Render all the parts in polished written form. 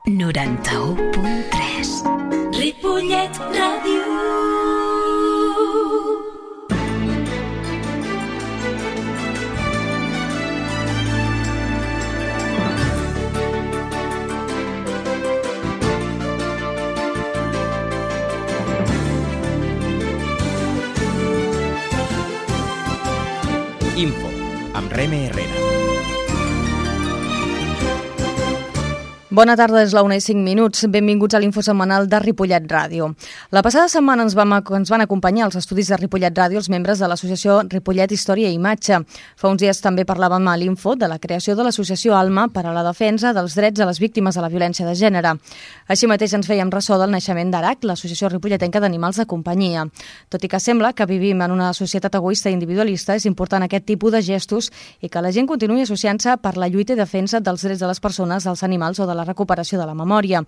91.3 Ripollet Ràdio. Info, amb Reme Herrera. Bona tarda, és la 1:05. Benvinguts a l'Info setmanal de Ripollet Ràdio. La passada setmana ens van acompanyar als estudis de Ripollet Ràdio els membres de l'associació Ripollet Història i Imatge. Fa uns dies també parlàvem a l'Info de la creació de l'associació Alma per a la defensa dels drets a les víctimes de la violència de gènere. Així mateix ens fèiem ressò del naixement d'ARAC, l'associació ripolletenca d'animals de companyia. Tot i que sembla que vivim en una societat egoista i individualista, és important aquest tipus de gestos i que la gent continuï associant-se per la lluita i defensa dels drets de les persones, dels animals o de la recuperació de la memòria.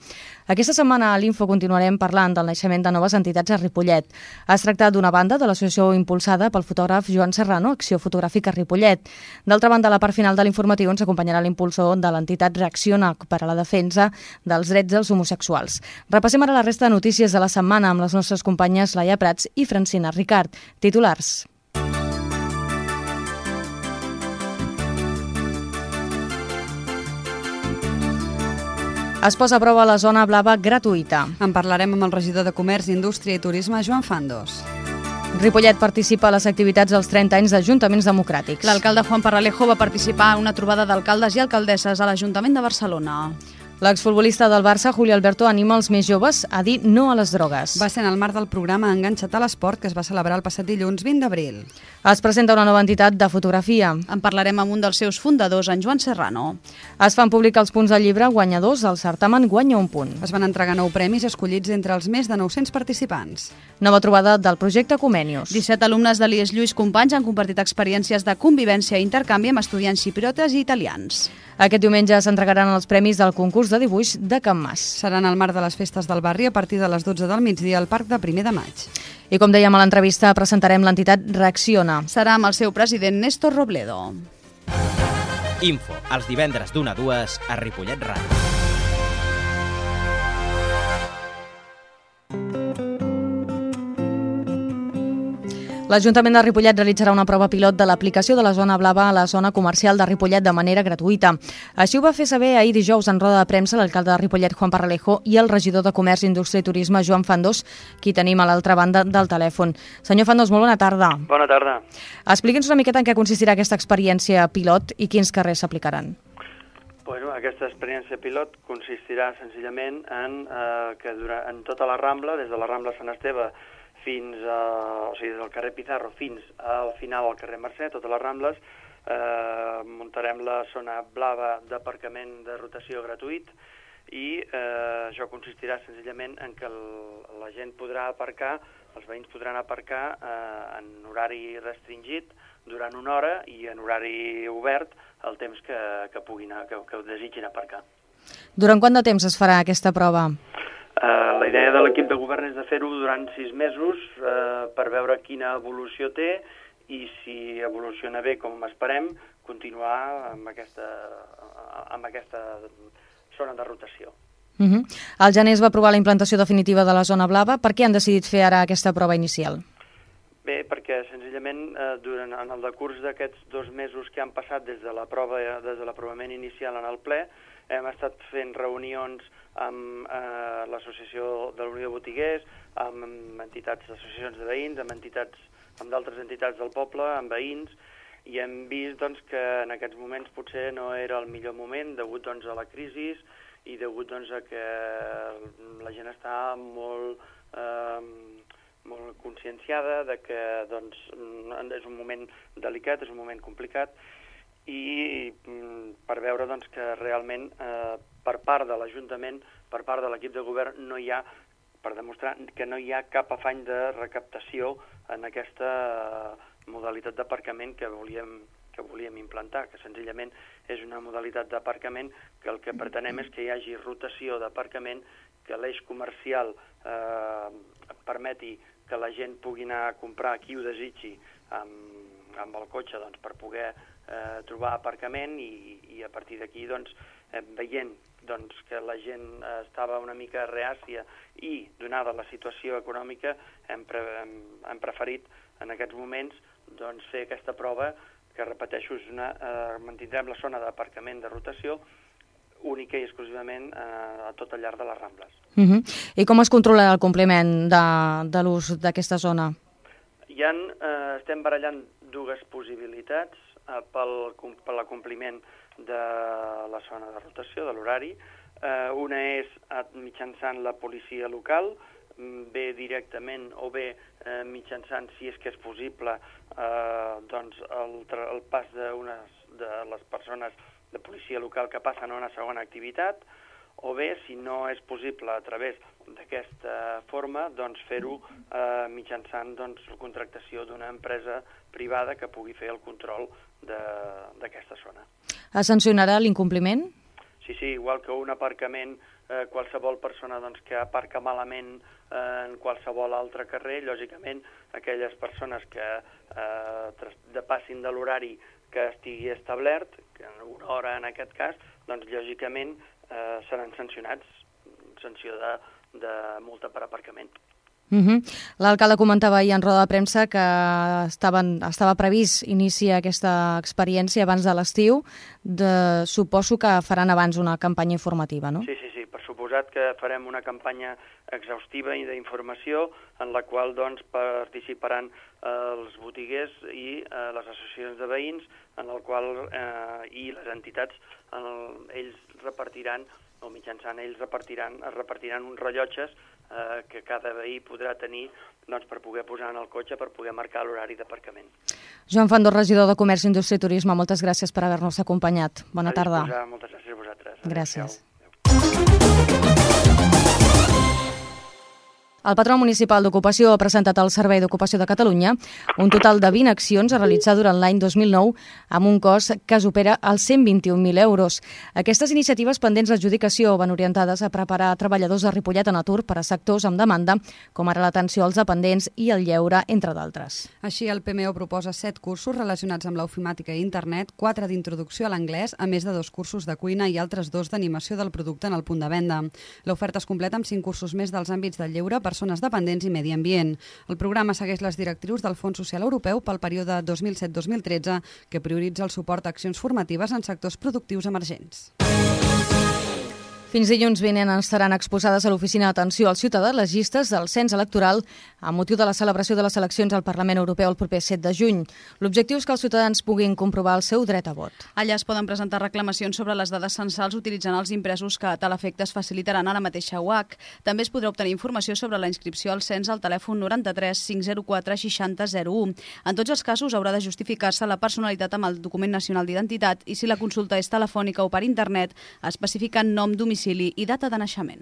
Aquesta setmana a l'Info continuarem parlant del naixement de noves entitats a Ripollet. Es tracta d'una banda de l'associació impulsada pel fotògraf Joan Serrano, Acció Fotogràfica Ripollet. D'altra banda, a la part final de l'informatiu ens acompanyarà l'impulsor de l'entitat Reacciona per a la defensa dels drets dels homosexuals. Repassem ara la resta de notícies de la setmana amb les nostres companyes Laia Prats i Francina Ricard. Titulars. Es posa a prova la zona blava gratuïta. En parlarem amb el regidor de Comerç, Indústria i Turisme, Joan Fandos. Ripollet participa a les activitats dels 30 anys d'Ajuntaments Democràtics. L'alcalde Juan Parralejo va participar en una trobada d'alcaldes i alcaldesses a l'Ajuntament de Barcelona. L'exfutbolista del Barça, Julio Alberto, anima els més joves a dir no a les drogues. Va ser en el marc del programa Enganxa't a l'Esport, que es va celebrar el passat dilluns 20 d'abril. Es presenta una nova entitat de fotografia. En parlarem amb un dels seus fundadors, en Joan Serrano. Es fan públics els punts del llibre guanyadors. El certamen guanya un punt. Es van entregar 9 premis escollits entre els més de 900 participants. Nova trobada del projecte Comenius. 17 alumnes de l'IES Lluís Companys han compartit experiències de convivència i intercanvi amb estudiants xipriotes i italians. Aquest diumenge s'entregaran els premis del concurs de dibuix de Can Mas. Seran al marc de les festes del barri a partir de les 12 del migdia al Parc de 1 de maig. I com dèiem a l'entrevista, presentarem l'entitat Reacciona. Serà amb el seu president Néstor Robledo. Info, els divendres d'1 a 2 a Ripollet Ràdio. L'Ajuntament de Ripollet realitzarà una prova pilot de l'aplicació de la zona blava a la zona comercial de Ripollet de manera gratuïta. Així ho va fer saber ahir dijous en roda de premsa l'alcalde de Ripollet, Juan Parralejo, i el regidor de Comerç, Indústria i Turisme, Joan Fandos, qui tenim a l'altra banda del telèfon. Senyor Fandos, molt bona tarda. Bona tarda. Expliqui'ns una miqueta en què consistirà aquesta experiència pilot i quins carrers s'aplicaran. Bueno, aquesta experiència pilot consistirà senzillament en que en tota la Rambla, des de la Rambla Sant Esteve fins o sigui, des del carrer Pizarro fins al final del carrer Mercè, totes les Rambles, muntarem la zona blava d'aparcament de rotació gratuït i això consistirà senzillament en que la gent podrà aparcar, els veïns podran aparcar en horari restringit durant una hora i en horari obert el temps que desitgin aparcar. Durant quant de temps es farà aquesta prova? La idea de l'equip de govern és de fer-ho durant 6 mesos per veure quina evolució té i si evoluciona bé com esperem, continuar amb aquesta zona de rotació. Al gener es va aprovar la implantació definitiva de la zona blava. Per què han decidit fer ara aquesta prova inicial? Bé, perquè senzillament en el decurs d'aquests 2 mesos que han passat des de l'aprovament inicial en el ple, hem estat fent reunions amb l'associació de l'Unió de Botiguers, amb entitats, associacions de veïns, amb d'altres entitats del poble, amb veïns, i hem vist doncs, que en aquests moments potser no era el millor moment degut doncs, a la crisi i degut doncs, a que la gent està molt conscienciada de que doncs, és un moment delicat, és un moment complicat, i per veure doncs, que realment per part de l'Ajuntament, per part de l'equip de govern, per demostrar que no hi ha cap afany de recaptació en aquesta modalitat d'aparcament que volíem implantar, que senzillament és una modalitat d'aparcament que el que pretenem és que hi hagi rotació d'aparcament, que l'eix comercial permeti que la gent pugui anar a comprar qui ho desitgi amb el cotxe per poder trobar aparcament i a partir d'aquí veient doncs, que la gent estava una mica reàcia i, donada la situació econòmica, hem preferit en aquests moments doncs, fer aquesta prova que, repeteixo, mantindrem la zona d'aparcament de rotació única i exclusivament a tot el llarg de les Rambles. I com es controla el compliment de l'ús d'aquesta zona? Estem barallant dues possibilitats per l'acompliment de la zona de rotació, de l'horari. Una és mitjançant la policia local, bé directament o bé mitjançant, si és que és possible, doncs el pas de les persones de policia local que passen a una segona activitat, o bé, si no és possible a través d'aquesta forma, doncs fer-ho mitjançant la contractació d'una empresa privada que pugui fer el control d'aquesta zona. Es sancionarà l'incompliment? Sí, igual que un aparcament, qualsevol persona que aparca malament en qualsevol altre carrer, lògicament aquelles persones que depassin de l'horari que estigui establert, que en una hora en aquest cas, doncs lògicament seran sancionats, sanció de multa per aparcament. L'alcalde comentava ahir en roda de premsa que estava previst iniciar aquesta experiència abans de l'estiu. Suposo que faran abans una campanya informativa, no? Sí, per suposat que farem una campanya exhaustiva i d'informació en la qual participaran els botiguers i les associacions de veïns i les entitats. Ells repartiran, o mitjançant ells es repartiran uns rellotges que cada veí podrà tenir per poder posar en el cotxe, per poder marcar l'horari d'aparcament. Joan Fandó, regidor de Comerç, Indústria i Turisme, moltes gràcies per haver-nos acompanyat. Bona tarda. Moltes gràcies a vosaltres. Gràcies. El patró municipal d'Ocupació ha presentat al Servei d'Ocupació de Catalunya un total de 20 accions a realitzar durant l'any 2009 amb un cost que supera els 121.000 euros. Aquestes iniciatives pendents d'adjudicació van orientades a preparar treballadors de Ripollet en atur per a sectors amb demanda, com ara l'atenció als dependents i el lleure, entre d'altres. Així, el PMO proposa 7 cursos relacionats amb l'ofimàtica i internet, 4 d'introducció a l'anglès, a més de 2 cursos de cuina i altres 2 d'animació del producte en el punt de venda. L'oferta es completa amb 5 cursos més dels àmbits del lleure, persones dependents i medi ambient. El programa segueix les directrius del Fons Social Europeu pel període 2007-2013, que prioritza el suport a accions formatives en sectors productius emergents. Fins dilluns vinent estaran exposades a l'Oficina d'Atenció al Ciutadà les llistes del cens electoral amb motiu de la celebració de les eleccions al Parlament Europeu el proper 7 de juny. L'objectiu és que els ciutadans puguin comprovar el seu dret a vot. Allà es poden presentar reclamacions sobre les dades censals utilitzant els impresos que a tal efecte es facilitaran ara mateix a UAC. També es podrà obtenir informació sobre la inscripció al cens al telèfon 93 504 60 01. En tots els casos haurà de justificar-se la personalitat amb el document nacional d'identitat i si la consulta és telefònica o per internet, especificant nom, domicili i data de naixement.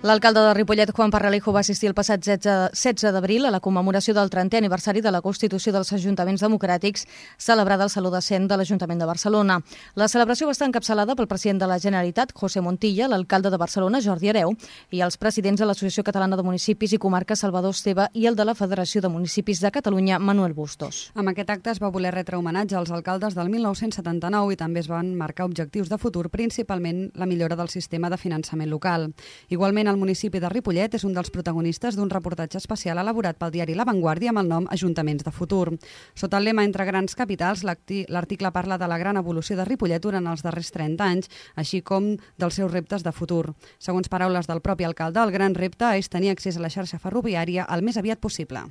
L'alcalde de Ripollet, Juan Parralejo, va assistir el passat 16 d'abril a la commemoració del 30è aniversari de la Constitució dels Ajuntaments Democràtics celebrada al Saló de Cent de l'Ajuntament de Barcelona. La celebració va estar encapçalada pel president de la Generalitat, José Montilla, l'alcalde de Barcelona, Jordi Hereu, i els presidents de l'Associació Catalana de Municipis i Comarques, Salvador Esteve, i el de la Federació de Municipis de Catalunya, Manuel Bustos. Amb aquest acte es va voler retre homenatge als alcaldes del 1979 i també es van marcar objectius de futur, principalment la millora del sistema de finançament local. Igualment, el municipi de Ripollet és un dels protagonistes d'un reportatge especial elaborat pel diari La Vanguardia amb el nom Ajuntaments de futur. Sota el lema Entre grans capitals, l'article parla de la gran evolució de Ripollet durant els darrers 30 anys, així com dels seus reptes de futur. Segons paraules del propi alcalde, el gran repte és tenir accés a la xarxa ferroviària el més aviat possible.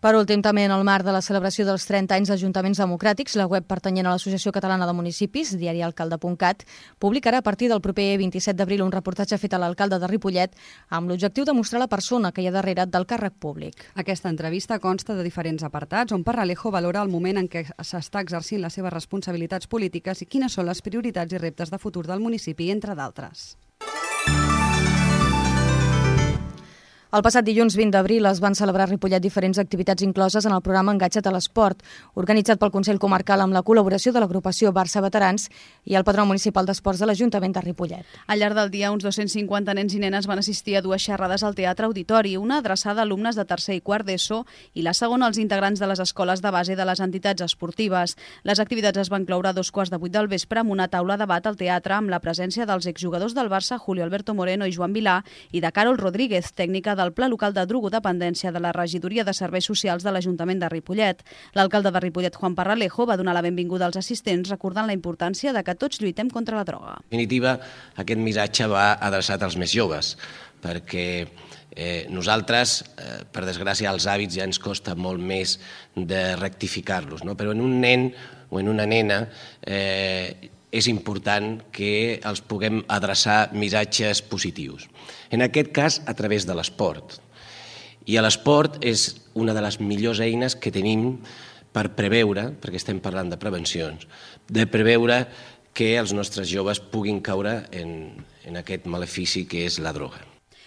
Per últim, també en el marc de la celebració dels 30 anys d'Ajuntaments Democràtics, la web pertanyent a l'Associació Catalana de Municipis, diarialcalde.cat, publicarà a partir del proper 27 d'abril un reportatge fet a l'alcalde de Ripollet amb l'objectiu de mostrar la persona que hi ha darrere del càrrec públic. Aquesta entrevista consta de diferents apartats on Parralejo valora el moment en què s'està exercint les seves responsabilitats polítiques i quines són les prioritats i reptes de futur del municipi, entre d'altres. El passat dilluns 20 d'abril es van celebrar a Ripollet diferents activitats incloses en el programa Enganxa't a l'Esport, organitzat pel Consell Comarcal amb la col·laboració de l'agrupació Barça Veterans i el Patronat Municipal d'Esports de l'Ajuntament de Ripollet. Al llarg del dia, uns 250 nens i nenes van assistir a dues xerrades al Teatre Auditori, una adreçada a alumnes de tercer i quart d'ESO i la segona als integrants de les escoles de base de les entitats esportives. Les activitats es van cloure a 7:45 del vespre amb una taula de debat al teatre amb la presència dels exjugadors del Barça, Julio Alberto Moreno i Joan Vilà, i de Carol Rodríguez, tècnica del Pla Local de Drogodependència de la Regidoria de Serveis Socials de l'Ajuntament de Ripollet. L'alcalde de Ripollet, Juan Parralejo, va donar la benvinguda als assistents recordant la importància de que tots lluitem contra la droga. En definitiva, aquest missatge va adreçat als més joves, perquè nosaltres, per desgràcia, els hàbits ja ens costa molt més de rectificar-los, no? Però en un nen o en una nena és important que els puguem adreçar missatges positius. En aquest cas, a través de l'esport. I l'esport és una de les millors eines que tenim per preveure, perquè estem parlant de prevencions, de preveure que els nostres joves puguin caure en aquest malefici que és la droga.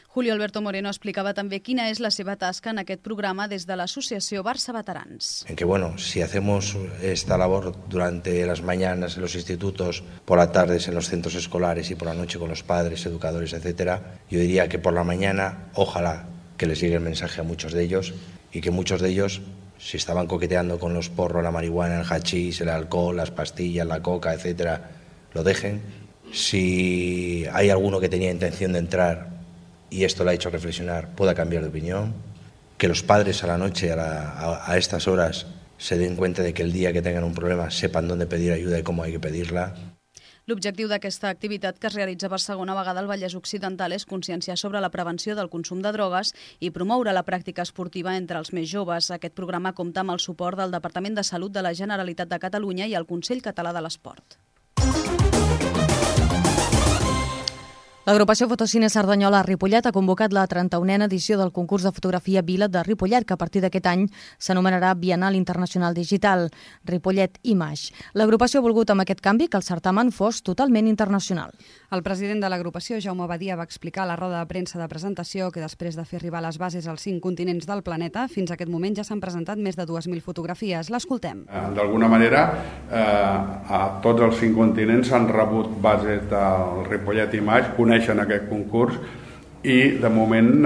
Julio Alberto Moreno explicava també quina és la seva tasca en aquest programa des de l'associació Barça Veterans. En que, si hacemos esta labor durante las mañanas en los institutos, por las tardes en los centros escolares y por la noche con los padres, educadores, etcétera, yo diría que por la mañana, ojalá que les llegue el mensaje a muchos de ellos y que muchos de ellos, si estaban coqueteando con los porros, la marihuana, el hachís, el alcohol, las pastillas, la coca, etcétera, lo dejen. Si hay alguno que tenía intención de entrar y esto le ha hecho reflexionar, pueda cambiar de opinión, que los padres a la noche, a estas horas, se den cuenta de que el día que tengan un problema sepan dónde pedir ayuda y cómo hay que pedirla. L'objectiu d'aquesta activitat, que es realitza per segona vegada al Vallès Occidental, és conscienciar sobre la prevenció del consum de drogues i promoure la pràctica esportiva entre els més joves. Aquest programa compta amb el suport del Departament de Salut de la Generalitat de Catalunya i el Consell Català de l'Esport. L'agrupació Fotocine Cerdanyola a Ripollet ha convocat la 31a edició del concurs de fotografia Vila de Ripollet, que a partir d'aquest any s'anomenarà Bienal Internacional Digital, Ripollet Image. L'agrupació ha volgut amb aquest canvi que el certamen fos totalment internacional. El president de l'agrupació, Jaume Badia, va explicar a la roda de premsa de presentació que després de fer arribar les bases als 5 continents del planeta, fins a aquest moment ja s'han presentat més de 2.000 fotografies. L'escoltem. D'alguna manera, a tots els 5 continents s'han rebut bases del Ripollet Image, coneixen aquest concurs i de moment,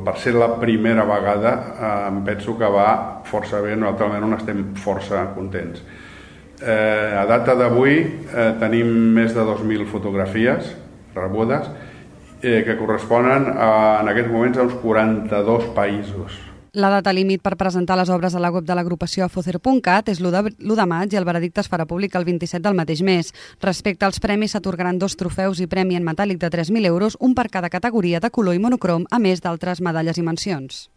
per ser la primera vegada, em penso que va força bé, nosaltres estem força contents. A data d'avui tenim més de 2.000 fotografies rebudes que corresponen en aquests moments a uns 42 països. La data límit per presentar les obres a la web de l'agrupació afocer.cat és l'1 de maig i el veredicte es farà públic el 27 del mateix mes. Respecte als premis, s'atorgaran 2 trofeus i premi en metàl·lic de 3.000 euros, un per cada categoria de color i monocrom, a més d'altres medalles i mencions.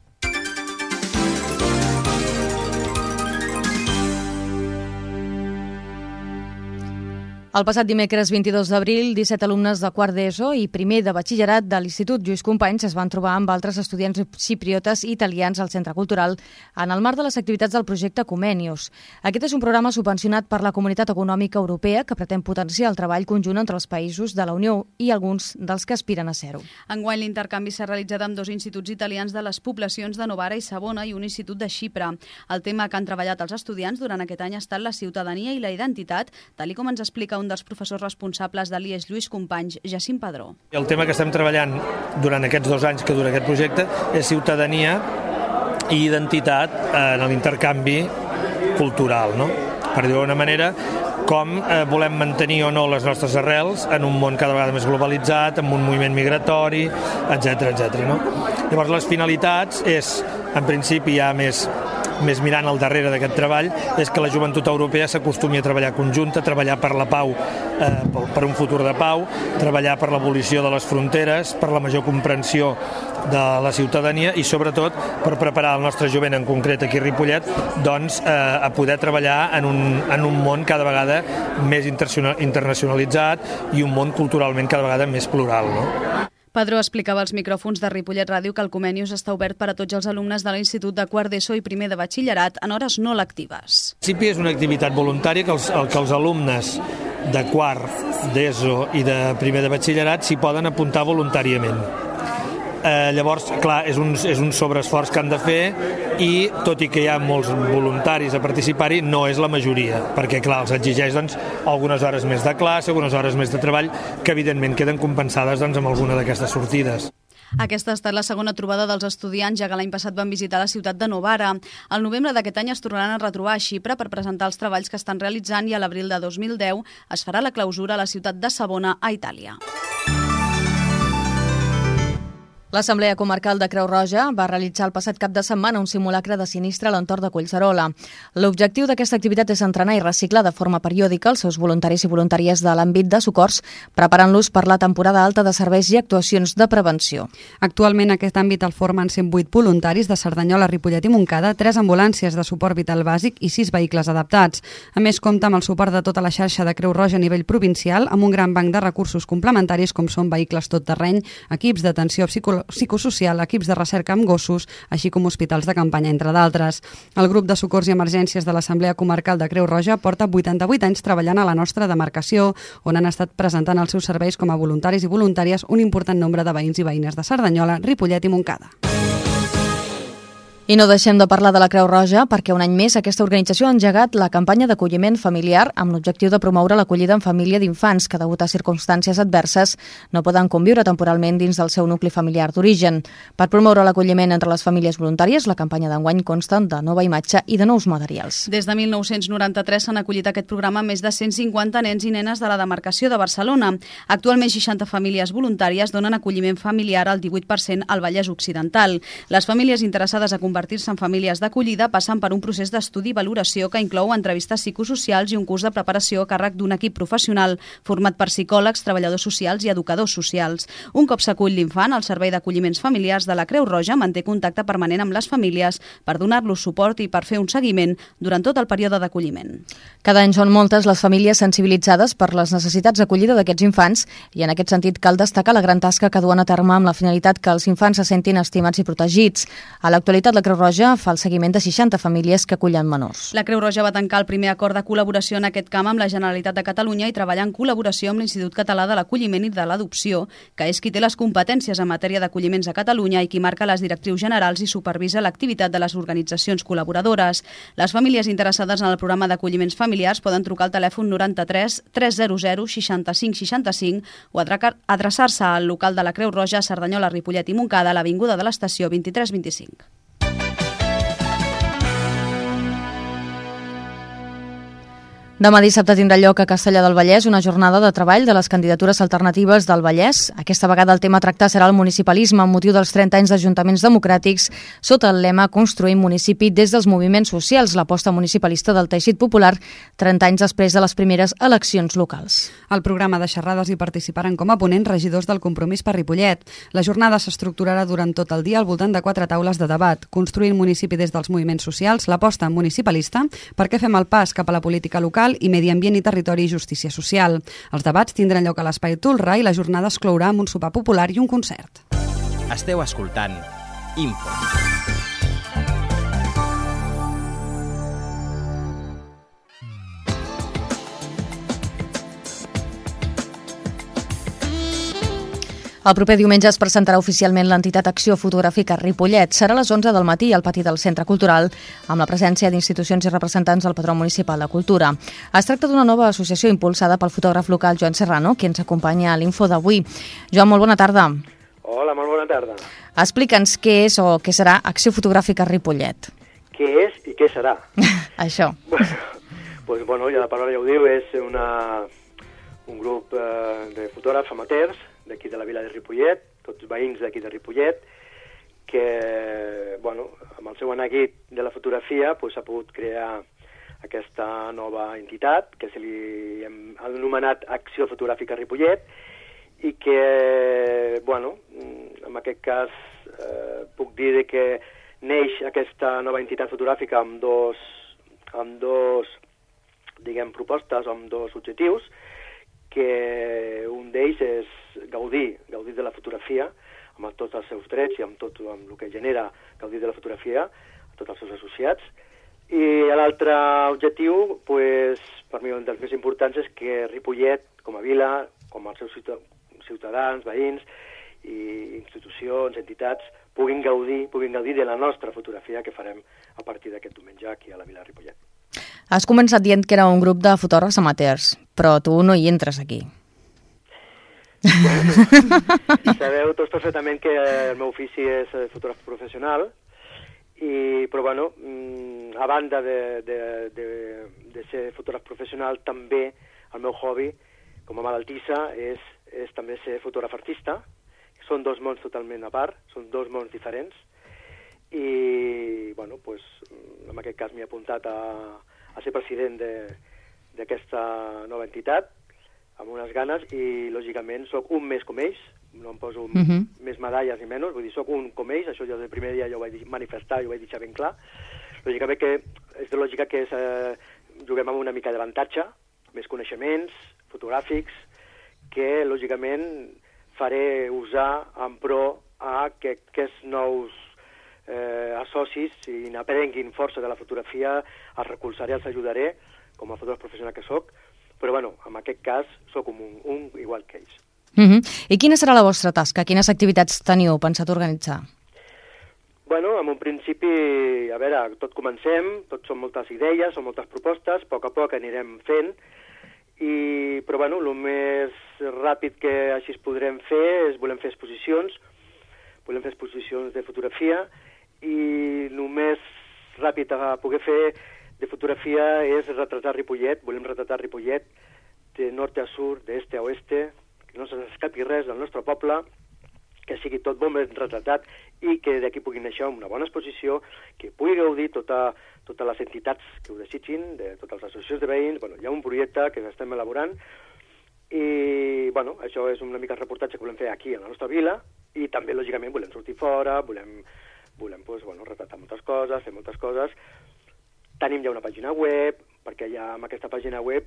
El passat dimecres 22 d'abril, 17 alumnes de quart d'ESO i primer de batxillerat de l'Institut Lluís Companys es van trobar amb altres estudiants xipriotes i italians al Centre Cultural en el marc de les activitats del projecte Comenius. Aquest és un programa subvencionat per la Comunitat Econòmica Europea que pretén potenciar el treball conjunt entre els països de la Unió i alguns dels que aspiren a ser-ho. Enguany l'intercanvi s'ha realitzat amb 2 instituts italians de les poblacions de Novara i Savona i un institut de Xipre. El tema que han treballat els estudiants durant aquest any ha estat la ciutadania i la identitat, tal com ens explica un dels professors responsables de l'IES Lluís Companys, Jacint Padró. El tema que estem treballant durant aquests 2 anys que dura aquest projecte és ciutadania i identitat en l'intercanvi cultural, no? Per dir-ho d'una manera, com volem mantenir o no les nostres arrels en un món cada vegada més globalitzat, amb un moviment migratori, etc. No? Llavors, les finalitats és, en principi, ja més mirant al darrere d'aquest treball, és que la joventut europea s'acostumi a treballar conjunta, treballar per la pau, per un futur de pau, treballar per l'abolició de les fronteres, per la major comprensió de la ciutadania i, sobretot, per preparar el nostre jovent, en concret aquí a Ripollet, doncs, a poder treballar en un món cada vegada més internacionalitzat i un món culturalment cada vegada més plural, no? Padró explicava als micròfons de Ripollet Ràdio que el Comenius està obert per a tots els alumnes de l'Institut de quart d'ESO i primer de batxillerat en hores no lectives. En principi és una activitat voluntària que els alumnes de quart d'ESO i de primer de batxillerat s'hi poden apuntar voluntàriament. Llavors, clar, és un sobreesforç que han de fer i, tot i que hi ha molts voluntaris a participar-hi, no és la majoria, perquè, clar, els exigeix doncs, algunes hores més de classe, algunes hores més de treball, que evidentment queden compensades doncs, amb alguna d'aquestes sortides. Aquesta ha estat la segona trobada dels estudiants, ja que l'any passat van visitar la ciutat de Novara. Al novembre d'aquest any es tornaran a retrobar a Xipre per presentar els treballs que estan realitzant i a l'abril de 2010 es farà la clausura a la ciutat de Savona, a Itàlia. L'Assemblea Comarcal de Creu Roja va realitzar el passat cap de setmana un simulacre de sinistre a l'entorn de Collserola. L'objectiu d'aquesta activitat és entrenar i reciclar de forma periòdica els seus voluntaris i voluntàries de l'àmbit de socors, preparant-los per la temporada alta de serveis i actuacions de prevenció. Actualment aquest àmbit el formen 108 voluntaris de Cerdanyola, Ripollet i Montcada, 3 ambulàncies de suport vital bàsic i 6 vehicles adaptats. A més, compta amb el suport de tota la xarxa de Creu Roja a nivell provincial, amb un gran banc de recursos complementaris com són vehicles tot terreny, equips d'atenció psicosocial, equips de recerca amb gossos, així com hospitals de campanya, entre d'altres. El grup de socors i emergències de l'Assemblea Comarcal de Creu Roja porta 88 anys treballant a la nostra demarcació, on han estat presentant els seus serveis com a voluntaris i voluntàries un important nombre de veïns i veïnes de Cerdanyola, Ripollet i Montcada. I no deixem de parlar de la Creu Roja perquè un any més aquesta organització ha engegat la campanya d'acolliment familiar amb l'objectiu de promoure l'acollida en família d'infants que, degut a circumstàncies adverses, no poden conviure temporalment dins del seu nucli familiar d'origen. Per promoure l'acolliment entre les famílies voluntàries, la campanya d'enguany consta de nova imatge i de nous materials. Des de 1993 s'han acollit aquest programa més de 150 nens i nenes de la demarcació de Barcelona. Actualment 60 famílies voluntàries donen acolliment familiar al 18% al Vallès Occidental. Les famílies interessades a convertir-se en famílies d'acollida passen per un procés d'estudi i valoració que inclou entrevistes psicosocials i un curs de preparació a càrrec d'un equip professional format per psicòlegs, treballadors socials i educadors socials. Un cop s'acull l'infant, el Servei d'Acolliments Familiars de la Creu Roja manté contacte permanent amb les famílies per donar-los suport i per fer un seguiment durant tot el període d'acolliment. Cada any són moltes les famílies sensibilitzades per les necessitats d'acollida d'aquests infants i en aquest sentit cal destacar la gran tasca que duen a terme amb la finalitat que els infants se sentin estimats i protegits. A l'actualitat, la Creu Roja fa el seguiment de 60 famílies que acullen menors. La Creu Roja va tancar el primer acord de col·laboració en aquest camp amb la Generalitat de Catalunya i treballa en col·laboració amb l'Institut Català de l'Acolliment i de l'Adopció, que és qui té les competències en matèria d'acolliments a Catalunya i qui marca les directrius generals i supervisa l'activitat de les organitzacions col·laboradores. Les famílies interessades en el programa d'acolliments familiars poden trucar al telèfon 93 300 65 65 o adreçar-se al local de la Creu Roja a Cerdanyola, Ripollet i Montcada a l'Avinguda de l'Estació 2325. Demà dissabte tindrà lloc a Castellar del Vallès una jornada de treball de les candidatures alternatives del Vallès. Aquesta vegada el tema a tractar serà el municipalisme amb motiu dels 30 anys d'ajuntaments democràtics sota el lema Construïm municipi des dels moviments socials, l'aposta municipalista del teixit popular 30 anys després de les primeres eleccions locals. Al programa de xerrades hi participaran com a ponents regidors del Compromís per Ripollet. La jornada s'estructurarà durant tot el dia al voltant de 4 taules de debat. Construint municipi des dels moviments socials, l'aposta municipalista, per què fem el pas cap a la política local i Medi Ambient i Territori i Justícia Social. Els debats tindran lloc a l'Espai Tolrà i la jornada es clourà amb un sopar popular i un concert. Esteu escoltant Info. El proper diumenge es presentarà oficialment l'entitat Acció Fotogràfica Ripollet. Serà a les 11 del matí al pati del Centre Cultural, amb la presència d'institucions i representants del Patró Municipal de Cultura. Es tracta d'una nova associació impulsada pel fotògraf local Joan Serrano, qui ens acompanya a l'Info d'avui. Joan, molt bona tarda. Hola, molt bona tarda. Explica'ns què és o què serà Acció Fotogràfica Ripollet. Què és i què serà? Això. Bueno, ja la paraula ja ho diu, és un grup de fotògrafs amateurs d'aquí de la vila de Ripollet, tots veïns d'aquí de Ripollet, que, bueno, amb el seu neguit de la fotografia s'ha pogut crear aquesta nova entitat, que se li hem anomenat Acció Fotogràfica Ripollet, i que, bueno, en aquest cas puc dir que neix aquesta nova entitat fotogràfica amb dos diguem, propostes, amb dos objectius, que un d'ells és gaudir de la fotografia, amb tots els seus drets i amb tot el que genera gaudir de la fotografia a tots els seus associats. I l'altre objectiu, per mi un dels més importants, és que Ripollet, com a vila, com els seus ciutadans, veïns, i institucions, entitats, puguin gaudir de la nostra fotografia que farem a partir d'aquest diumenge aquí a la Vila de Ripollet. Has començat dient que era un grup de fotògrafs amateurs, però tu no hi entres aquí. Bueno, sabeu tots perfectament que el meu ofici és fotògraf professional, però bueno, a banda de ser fotògraf professional, també el meu hobby com a malaltissa és també ser fotògraf artista. Són dos mons totalment a part, són dos mons diferents, i bueno, pues, en aquest cas m'he apuntat a ser president d'aquesta nova entitat, amb unes ganes, i lògicament sóc un més com ells, no em poso més medalles ni menys, vull dir, sóc un com ells, això jo del primer dia ja ho vaig manifestar i ho vaig deixar ben clar. Lògicament que és de lògica que juguem amb una mica d'avantatge, més coneixements fotogràfics, que lògicament faré usar en pro a que aquests nous associs, si n'aprenguin força de la fotografia, els recolzaré, els ajudaré, com a fotògraf professional que sóc, però bueno, en aquest cas sóc un igual que ells. I quina serà la vostra tasca? Quines activitats teniu pensat organitzar? Bueno, en un principi, a veure, tot comencem, tot són moltes idees, són moltes propostes, a poc anirem fent, però bueno, el més ràpid que així es podrem fer és volem fer exposicions de fotografia, i el més ràpid a poder fer de fotografia és retratar Ripollet. Volem retratar Ripollet de nord a sud, d'est a oeste, que no se'ns escapi res del nostre poble, que sigui tot bon ben retratat i que d'aquí pugui néixer una bona exposició, que pugui gaudir totes les entitats que ho desitgin, de totes les associacions de veïns. Bueno, hi ha un projecte que estem elaborant i bueno, això és una mica el reportatge que volem fer aquí a la nostra vila, i també lògicament volem sortir fora, volem pues, bueno, retratar moltes coses, fer moltes coses. Tenim ja una pàgina web, perquè ja amb aquesta pàgina web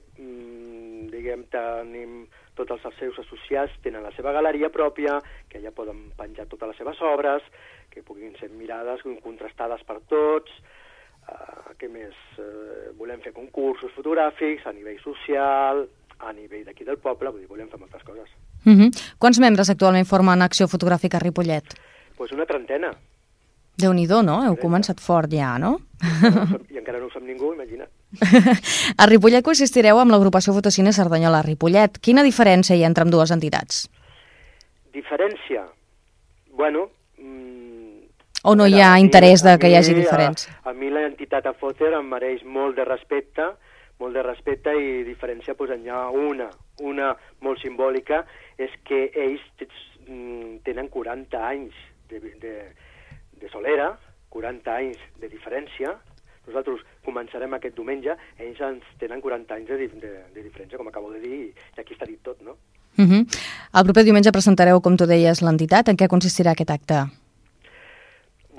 tenim tots els seus associats, tenen la seva galeria pròpia, que ja poden penjar totes les seves obres, que puguin ser mirades, contrastades per tots. Què més? Volem fer concursos fotogràfics a nivell social, a nivell d'aquí del poble, vull dir, volem fer moltes coses. Quants membres actualment formen Acció Fotogràfica a Ripollet? Pues una trentena. Déu-n'hi-do, no? Heu començat fort ja, no? I encara no ho sap ningú, imagina't. A Ripollet coexistireu amb l'agrupació Fotocine Cerdanyola Ripollet. Quina diferència hi ha entre ambdues entitats? Diferència? Bueno... O no hi ha interès que hi hagi diferència? A mi l'entitat a Foter em mereix molt de respecte i diferència, doncs n'hi ha una molt simbòlica, és que ells tenen 40 anys de solera, 40 anys de diferència. Nosaltres començarem aquest diumenge, ells ens tenen 40 anys de diferència, com acabo de dir, i aquí està dit tot, no? El proper diumenge presentareu, com tu deies, l'entitat. En què consistirà aquest acte?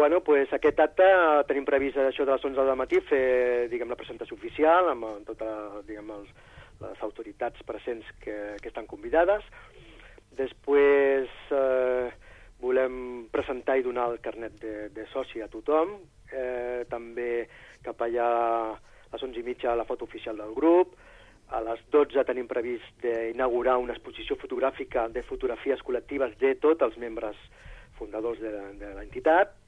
Bueno, pues aquest acte tenim previst això de les 11 del matí fer, diguem, la presentació oficial amb totes, diguem, les autoritats presents que estan convidades. Després volem presentar i donar el carnet de soci a tothom. També cap allà a les 11:30 la foto oficial del grup. A les 12 tenim previst d'inaugurar una exposició fotogràfica de fotografies col·lectives de tots els membres fundadors de l'entitat,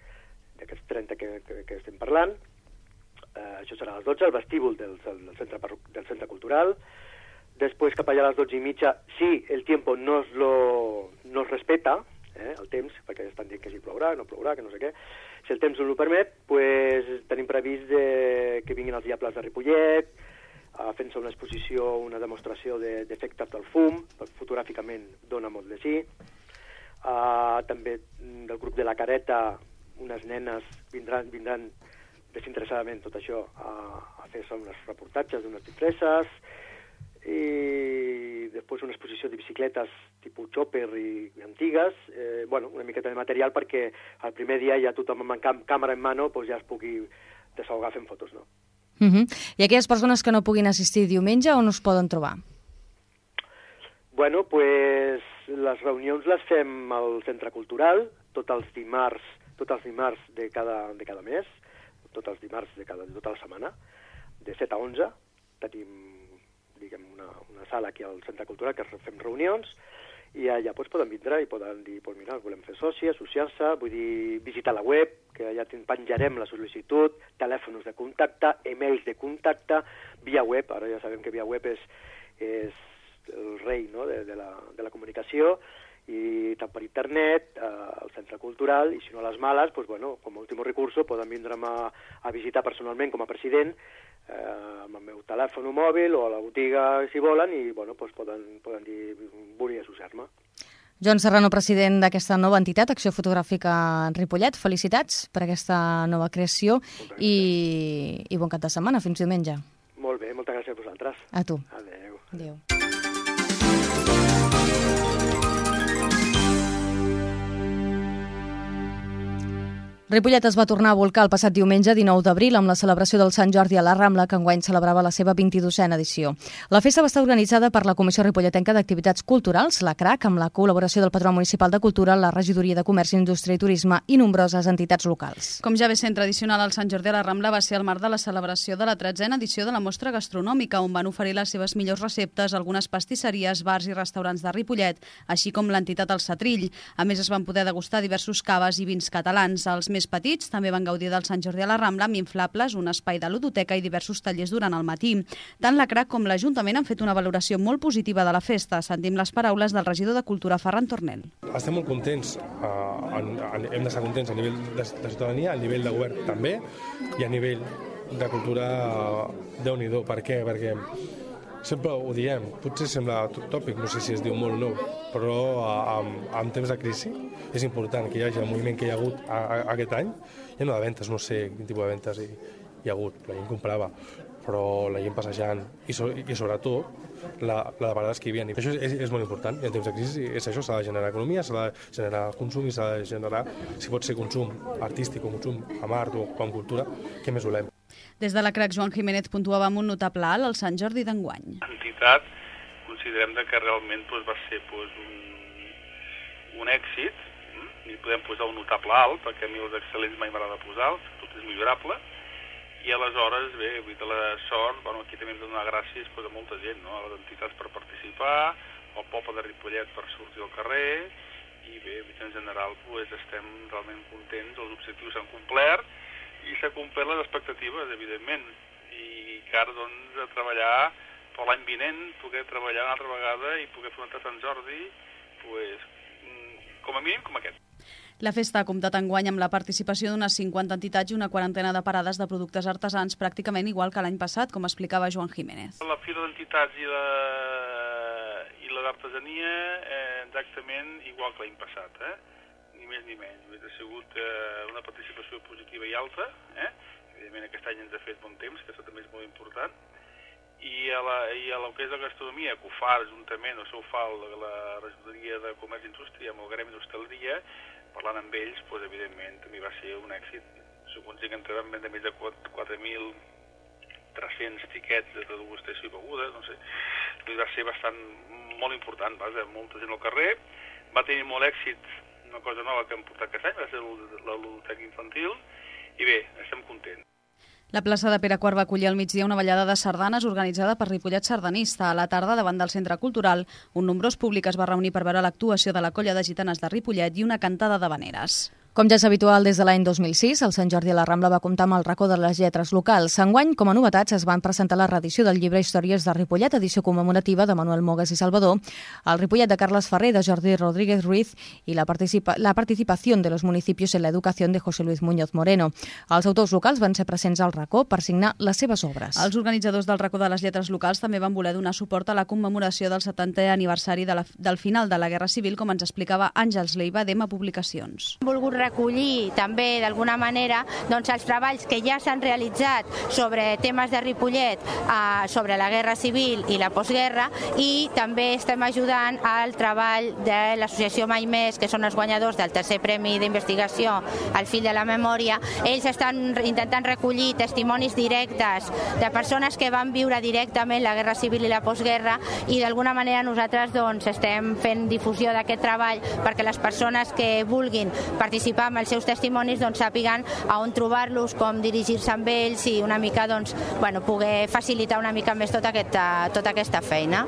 d'aquests 30 que estem parlant. Això serà a les 12, al vestíbul del centre cultural. Després, cap allà a les 12:30, si el tiempo no es respeta, el temps, perquè estan dient que si plourà, no plourà, que no sé què, si el temps no ho permet, pues, tenim previst que vinguin els Diables de Ripollet, fent-se una exposició, una demostració d'efectes del fum, fotogràficament dona molt de sí. També del grup de la Careta, unes nenes vindran desinteressadament tot això a fer-se uns reportatges d'unes disfresses, i després una exposició de bicicletes tipus chopper i antigues, una miqueta de material perquè el primer dia ja tothom amb càmera en mano ja es pugui desahogar fent fotos, no? I aquelles persones que no puguin assistir diumenge, on us poden trobar? Bueno, pues les reunions les fem al Centre Cultural, tots els dimarts de cada mes, tots els dimarts de tota la setmana, de 7 a 11, tenim, diguem, una sala aquí al Centre Cultural que fem reunions, i allà poden vindre i poden dir, mira, volem fer soci, associar-se, vull dir, visitar la web, que allà penjarem la sol·licitud, telèfons de contacte, emails de contacte, via web, ara ja sabem que via web és el rei, no?, de la comunicació, i tant per internet, al centre cultural, i si no a les males, com a últim recurs, poden vindre'm a visitar personalment com a president, amb el meu telèfon mòbil o a la botiga si volen, i poden dir vull associar-me. Joan Serrano, president d'aquesta nova entitat, Acció Fotogràfica Ripollet, felicitats per aquesta nova creació i bon cap de setmana, fins diumenge. Molt bé, moltes gràcies a vosaltres. A tu. Adéu. Adéu. Ripollet es va tornar a volcar el passat diumenge 19 d'abril amb la celebració del Sant Jordi a la Rambla, que enguany celebrava la seva 22a edició. La festa va estar organitzada per la Comissió Ripolletenca d'Activitats Culturals, la CRAC, amb la col·laboració del Patronat Municipal de Cultura, la Regidoria de Comerç, Indústria i Turisme i nombroses entitats locals. Com ja ve sent tradicional, el Sant Jordi a la Rambla va ser el marc de la celebració de la 13a edició de la mostra gastronòmica, on van oferir les seves millors receptes algunes pastisseries, bars i restaurants de Ripollet, així com l'entitat El Setrill. A més, es van poder degustar diversos caves i vins catalans. Els més petits també van gaudir del Sant Jordi a la Rambla amb inflables, un espai de ludoteca i diversos tallers durant el matí. Tant la CRAC com l'Ajuntament han fet una valoració molt positiva de la festa. Sentim les paraules del regidor de Cultura, Ferran Tornel. Estem molt contents, hem d'estar contents a nivell de ciutadania, a nivell de govern també, i a nivell de cultura, Déu-n'hi-do. Per què? Perquè sempre ho diem, potser sembla tòpic, no sé si es diu molt o no, però en temps de crisi és important que hi hagi el moviment que hi ha hagut aquest any. Hi ha no de ventes, no sé quin tipus de ventes hi ha hagut, la gent comprava, però la gent passejant i sobretot la de vegades que hi havia. Això és molt important, i en temps de crisi és això, s'ha de generar economia, s'ha de generar consum i s'ha de generar, si pot ser consum artístic o consum amb art o amb cultura, què més volem. Des de la CRAC, Joan Jiménez puntuava amb un notable alt al Sant Jordi d'enguany. L'entitat considerem que realment va ser un èxit, i podem posar un notable alt, perquè a mi els excel·lents mai m'agrada posar, tot és millorable, i aleshores, bé, de la sort, aquí també hem de donar gràcies a molta gent, a les entitats per participar, al poble de Ripollet per sortir al carrer, i bé, en general estem realment contents, els objectius s'han complert, i s'ha complert les expectatives, evidentment, i que ara, a treballar per l'any vinent, poder treballar una altra vegada i poder fer un altre Sant Jordi, com a mínim com aquest. La festa ha comptat enguany amb la participació d'unes 50 entitats i una quarantena de parades de productes artesans, pràcticament igual que l'any passat, com explicava Joan Jiménez. La fira d'entitats i la d'artesania, exactament igual que l'any passat, ni més ni menys. Ha sigut una participació positiva i alta, evidentment aquest any ens ha fet bon temps, que això també és molt important, i a lo que és la gastronomia, que ho fa juntament, o ho fa la Regidoria de Comerç i Indústria amb el Gremi d'Hostaleria, parlant amb ells, evidentment també va ser un èxit. Segons que entrem de més de 4.300 tiquets de degustació i begudes, no sé, va ser molt important, molta gent al carrer, va tenir molt èxit. Una cosa nova que hem portat aquest any va ser la ludoteca infantil i bé, estem contents. La plaça de Pere IV va acollir al migdia una ballada de sardanes organitzada per Ripollet Sardanista. A la tarda, davant del centre cultural, un nombrós públic es va reunir per veure l'actuació de la colla de gitanes de Ripollet i una cantada d'havaneres. Com ja és habitual des de l'any 2006, el Sant Jordi a la Rambla va comptar amb el racó de les lletres locals. Enguany, com a novetats, es van presentar la reedició del llibre Històries de Ripollet, edició commemorativa de Manuel Mogas i Salvador, el Ripollet de Carles Ferrer, de Jordi Rodríguez Ruiz, i la participació de los municipios en la educació de José Luis Muñoz Moreno. Els autors locals van ser presents al racó per signar les seves obres. Els organitzadors del racó de les lletres locals també van voler donar suport a la commemoració del 70è aniversari del final de la Guerra Civil, com ens explicava Àngels Leiva d'Ema Publicacions. Hem volgut recollir també d'alguna manera els treballs que ja s'han realitzat sobre temes de Ripollet, sobre la Guerra Civil i la postguerra, i també estem ajudant al treball de l'associació Mai Més, que són els guanyadors del tercer premi d'investigació al fil de la memòria. Ells estan intentant recollir testimonis directes de persones que van viure directament la Guerra Civil i la postguerra, i d'alguna manera nosaltres estem fent difusió d'aquest treball perquè les persones que vulguin participar amb els seus testimonis sàpiguen a on trobar-los, com dirigir-se amb ells i una mica poder facilitar una mica més tota aquesta feina.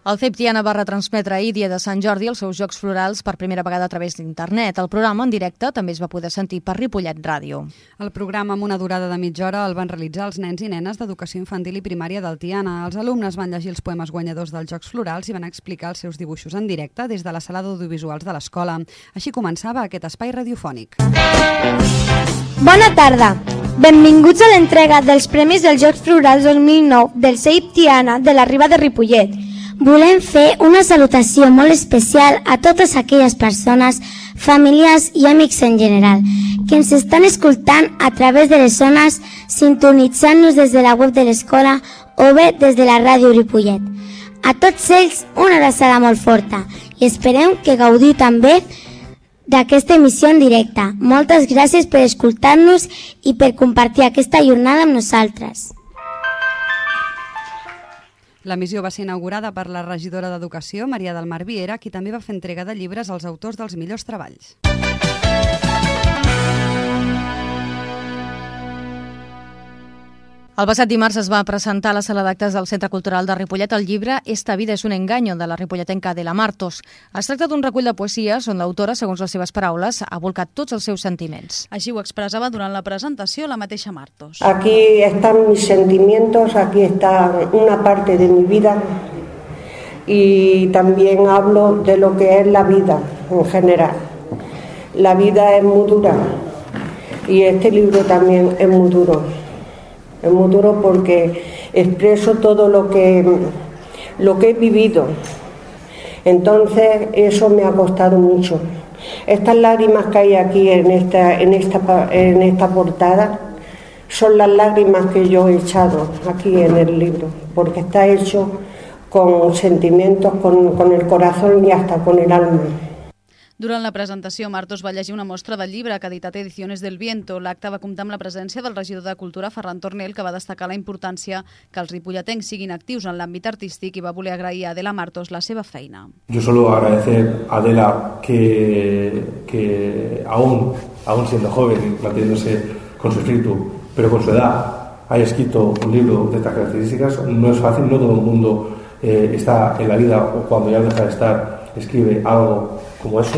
El CEIP Tiana va retransmetre ahir, dia de Sant Jordi, els seus Jocs Florals per primera vegada a través d'internet. El programa en directe també es va poder sentir per Ripollet Ràdio. El programa, amb una durada de mitja hora, el van realitzar els nens i nenes d'educació infantil i primària del Tiana. Els alumnes van llegir els poemes guanyadors dels Jocs Florals i van explicar els seus dibuixos en directe des de la sala d'audiovisuals de l'escola. Així començava aquest espai radiofònic. Bona tarda! Benvinguts a l'entrega dels Premis dels Jocs Florals 2009 del CEIP Tiana de la Riba de Ripollet. Volem fer una salutació molt especial a totes aquelles persones, familiars i amics en general, que ens estan escoltant a través de les zones, sintonitzant-nos des de la web de l'escola o bé des de la ràdio Ripollet. A tots ells una abraçada molt forta i esperem que gaudiu també d'aquesta emissió en directe. Moltes gràcies per escoltar-nos i per compartir aquesta jornada amb nosaltres. La missió va ser inaugurada per la regidora d'Educació, Maria del Mar Viera, qui també va fer entrega de llibres als autors dels millors treballs. El passat dimarts es va presentar a la sala d'actes del Centre Cultural de Ripollet el llibre Esta vida es un engaño, de la ripolletenca Adela Martos. Es tracta d'un recull de poesies on l'autora, segons les seves paraules, ha volcat tots els seus sentiments. Així ho expressava durant la presentació la mateixa Martos. Aquí están mis sentimientos, aquí está una parte de mi vida y también hablo de lo que es la vida en general. La vida es muy dura y este libro también es muy duro. Es muy duro porque expreso todo lo que he vivido. Entonces eso me ha costado mucho. Estas lágrimas que hay aquí en esta portada son las lágrimas que yo he echado aquí en el libro, porque está hecho con sentimientos, con el corazón y hasta con el alma. Durant la presentació, Martos va llegir una mostra del llibre que ha editat Ediciones del Viento. L'acte va comptar amb la presència del regidor de Cultura, Ferran Tornel, que va destacar la importància que els ripolletens siguin actius en l'àmbit artístic i va voler agrair a Adela Martos la seva feina. Yo solo agradecer a Adela que aún siendo joven y manteniéndose con su espíritu, pero con su edad, haya escrito un libro de estas características. No es fácil, no todo el mundo está en la vida o cuando ya deja de estar escribe algo como eso.